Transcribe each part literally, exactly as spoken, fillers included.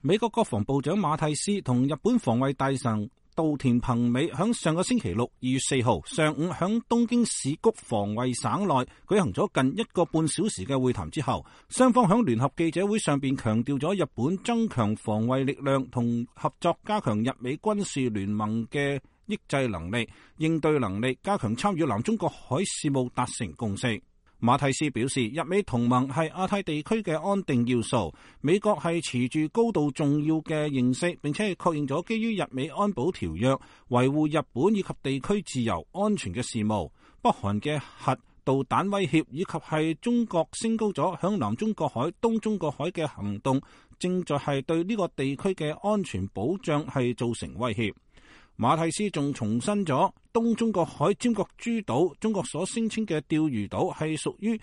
美國國防部長馬蒂斯同日本防衛大臣稻田朋美響上個星期六二月四號上午響東京市谷防衛省內舉行咗近一個半小時嘅會談之後，雙方響聯合記者會上邊強調咗日本增強防衛力量同合作，加強日美軍事聯盟嘅抑制能力、應對能力，加強參與南中國海事務，達成共識。馬蒂斯表示，日美同盟係亞太地區嘅安定要素，美國係持住高度重要嘅認識，並且係確認咗基於日美安保條約維護日本以及地區自由安全嘅事務。北韓嘅核導彈威脅以及係中國升高咗響南中國海、東中國海嘅行動，正在係對呢個地區嘅安全保障係造成威脅。馬蒂斯仲重申咗東中國海尖閣諸島，中國所聲稱嘅釣魚島係屬於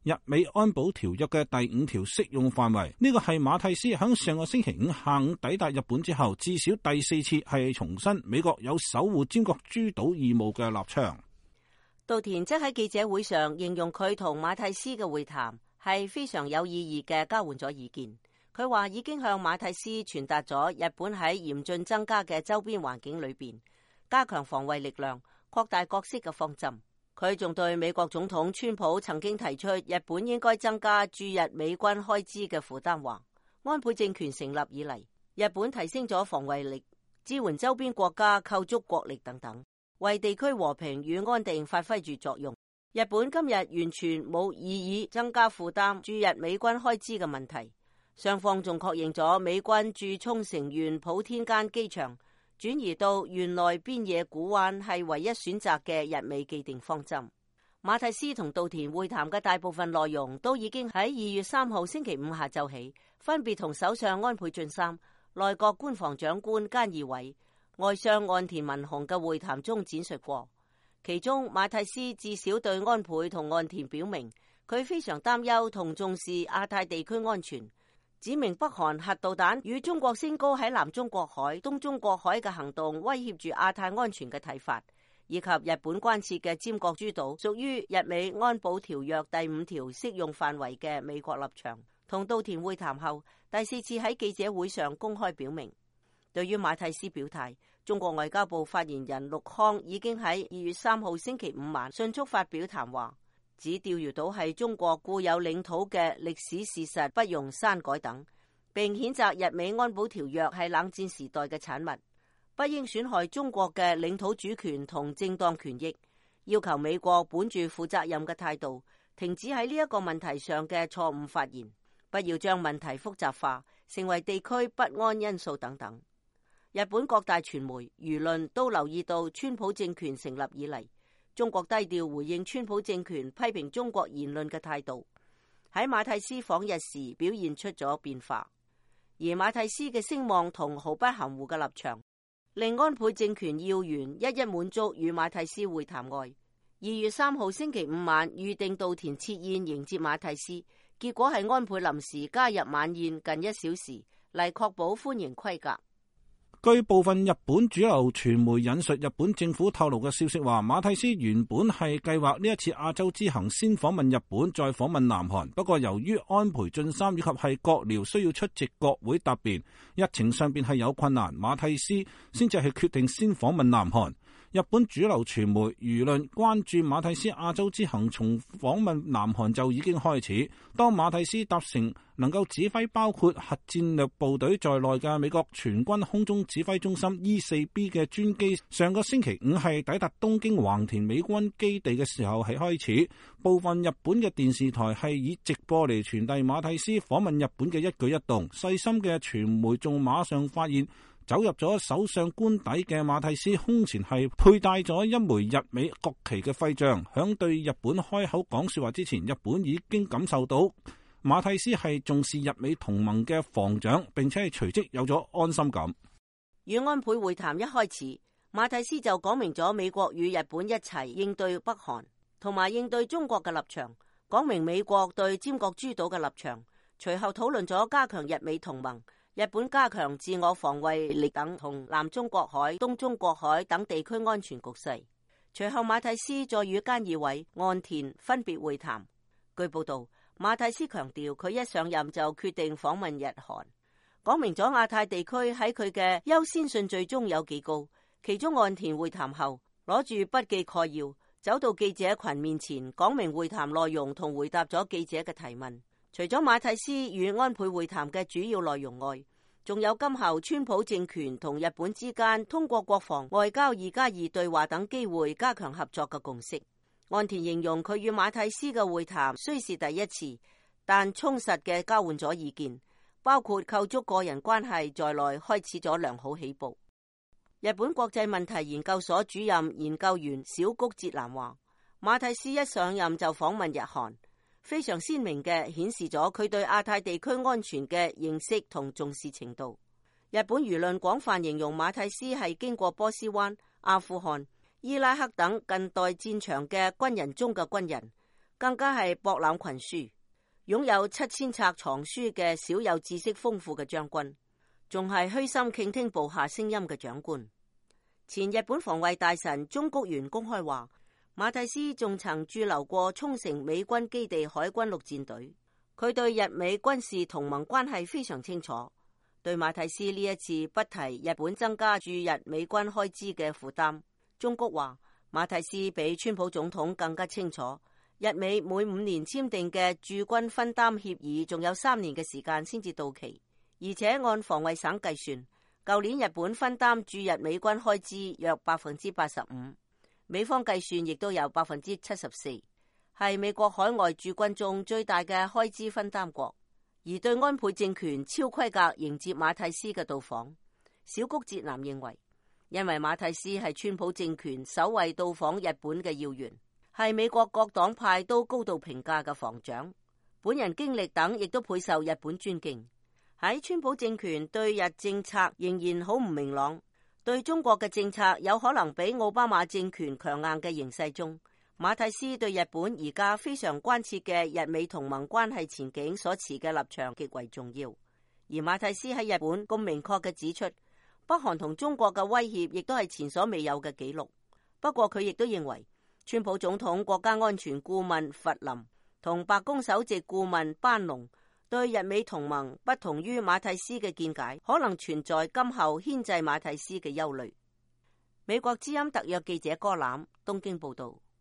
日美安保條約嘅第五條適用範圍。呢個係馬蒂斯響上個星期五下午抵達日本之後，至少第四次係重申美國有守護尖閣諸島義務嘅立場。稻田則喺記者會上形容佢同馬蒂斯嘅會談係非常有意義嘅，交換咗意見。佢話已經向馬蒂斯傳達咗日本喺嚴峻增加嘅周邊環境裏邊加強防衛力量、擴大角色嘅方針。佢仲對美國總統川普曾經提出日本應該增加駐日美軍開支嘅負擔話，安倍政權成立以嚟，日本提升咗防衛力，支援周邊國家構築國力等等，為地區和平與安定發揮住作用。日本今日完全冇異議增加負擔駐日美軍開支嘅問題。雙方仲確認咗美軍駐沖繩縣普天間機場轉移到縣內邊野古灣係唯一選擇嘅日美既定方針。馬蒂斯同稻田會談嘅大部分內容都已經喺二月三號星期五下晝起，分別同首相安倍晉三、內閣官房長官菅義偉、外相岸田文雄嘅會談中展述過。其中馬蒂斯至少對安倍同岸田表明，佢非常擔憂同重視亞太地區安全，指明北韓核導彈與中國升高喺南中國海、東中國海嘅行動威脅住亞太安全嘅睇法，以及日本關切嘅尖閣諸島屬於日美安保條約第五條適用範圍嘅美國立場。同稻田會談後，第四次喺記者會上公開表明。對於馬蒂斯表態，中國外交部發言人陸康已經喺二月三號星期五晚迅速發表談話，指釣魚島係中國固有領土嘅歷史事實，不容刪改等，並譴責日美安保條約係冷戰時代嘅產物，不應損害中國嘅領土主權同正當權益，要求美國本住負責任嘅態度，停止喺呢一個問題上嘅錯誤發言，不要將問題複雜化，成為地區不安因素等等。日本各大傳媒、輿論都留意到川普政權成立以嚟，中國低調回應川普政權批評中國言論嘅態度，喺馬蒂斯訪日時表現出咗變化。而馬蒂斯嘅聲望同毫不含糊嘅立場，令安倍政權要員一一滿足與馬蒂斯會談外。二月三號星期五晚預定稻田設宴迎接馬蒂斯，結果係安倍臨時加入晚宴近一小時，嚟確保歡迎規格。據部分日本主流傳媒引述日本政府透露嘅消息話，馬蒂斯原本係計劃呢一次亞洲之行先訪問日本，再訪問南韓。不過由於安倍晉三以及係閣僚需要出席國會答辯，日程上邊係有困難，馬蒂斯先至係決定先訪問南韓。日本主流傳媒輿論關注馬蒂斯亞洲之行從訪問南韓就已經開始。當馬蒂斯搭乘能夠指揮包括核戰略部隊在內嘅美國全軍空中指揮中心 E 四 B 嘅專機上個星期五係抵達東京橫田美軍基地嘅時候係開始，部分日本嘅電視台係以直播嚟傳遞馬蒂斯訪問日本嘅一舉一動。細心嘅傳媒仲馬上發現，走入咗首相官邸嘅馬蒂斯胸前係佩戴咗一枚日美國旗嘅徽章。響對日本開口講說話之前，日本已經感受到馬蒂斯係重視日美同盟嘅防長，並且係隨即有咗安心感。與安倍會談一開始，馬蒂斯就講明咗美國與日本一齊應對北韓同埋應對中國嘅立場，講明美國對尖閣諸島嘅立場。隨後討論咗加強日美同盟、日本加強自我防衛力等同南中國海、東中國海等地區安全局勢。隨後馬蒂斯再與菅義偉、岸田分別會談。據報道，馬蒂斯強調佢一上任就決定訪問日韓。講明咗亞太地區喺佢嘅優先順序中有幾高。其中岸田會談後，攞住筆記概要，走到記者群面前，講明會談內容同回答咗記者嘅提問。除咗馬蒂斯與安倍會談嘅主要內容外，仲有今後川普政權同日本之間通過國防、外交二加二對話等機會加強合作嘅共識。岸田形容佢與馬蒂斯嘅會談雖是第一次，但充實嘅交換咗意見，包括構築個人關係在內，開始咗良好起步。日本國際問題研究所主任研究員小谷哲男話，馬蒂斯一上任就訪問日韓，非常鮮明嘅顯示咗佢對亞太地區安全嘅認識同重視程度。日本輿論廣泛形容馬蒂斯係經過波斯灣、阿富汗、伊拉克等近代戰場嘅軍人中嘅軍人，更加係博覽群書，擁有七千冊藏書嘅少有知識豐富嘅將軍，仲係虛心傾聽部下聲音嘅長官。前日本防衛大臣中谷元公開話，馬蒂斯仲曾駐留過沖繩美軍基地海軍陸戰隊，佢對日美軍事同盟關係非常清楚。對馬蒂斯呢一次不提日本增加駐日美軍開支嘅負擔，中谷話馬蒂斯比川普總統更加清楚，日美每五年簽訂嘅駐軍分擔協議仲有三年嘅時間先至到期，而且按防衛省計算，舊年日本分擔駐日美軍開支約百分之八十五，美方計算亦都有百分之七十四，係美國海外駐軍中最大嘅開支分擔國。而對安倍政權超規格迎接馬蒂斯嘅到訪，小谷哲男認為，因為馬蒂斯係川普政權首位到訪日本嘅要員，係美國各黨派都高度評價嘅防長，本人經歷等亦都倍受日本尊敬。喺川普政權對日政策仍然好唔明朗，對中國嘅政策有可能比奧巴馬政權強硬嘅形勢中，馬蒂斯對日本而家非常關切嘅日美同盟關係前景所持嘅立場極為重要。而馬蒂斯喺日本咁明確嘅指出，北韓同中國嘅威脅亦都係前所未有嘅紀錄。不過佢亦都認為，川普總統國家安全顧問弗林同白宮首席顧問班農對日美同盟不同於馬蒂斯嘅見解，可能存在今後牽制馬蒂斯嘅憂慮。美國之音特約記者柯欖東京報道。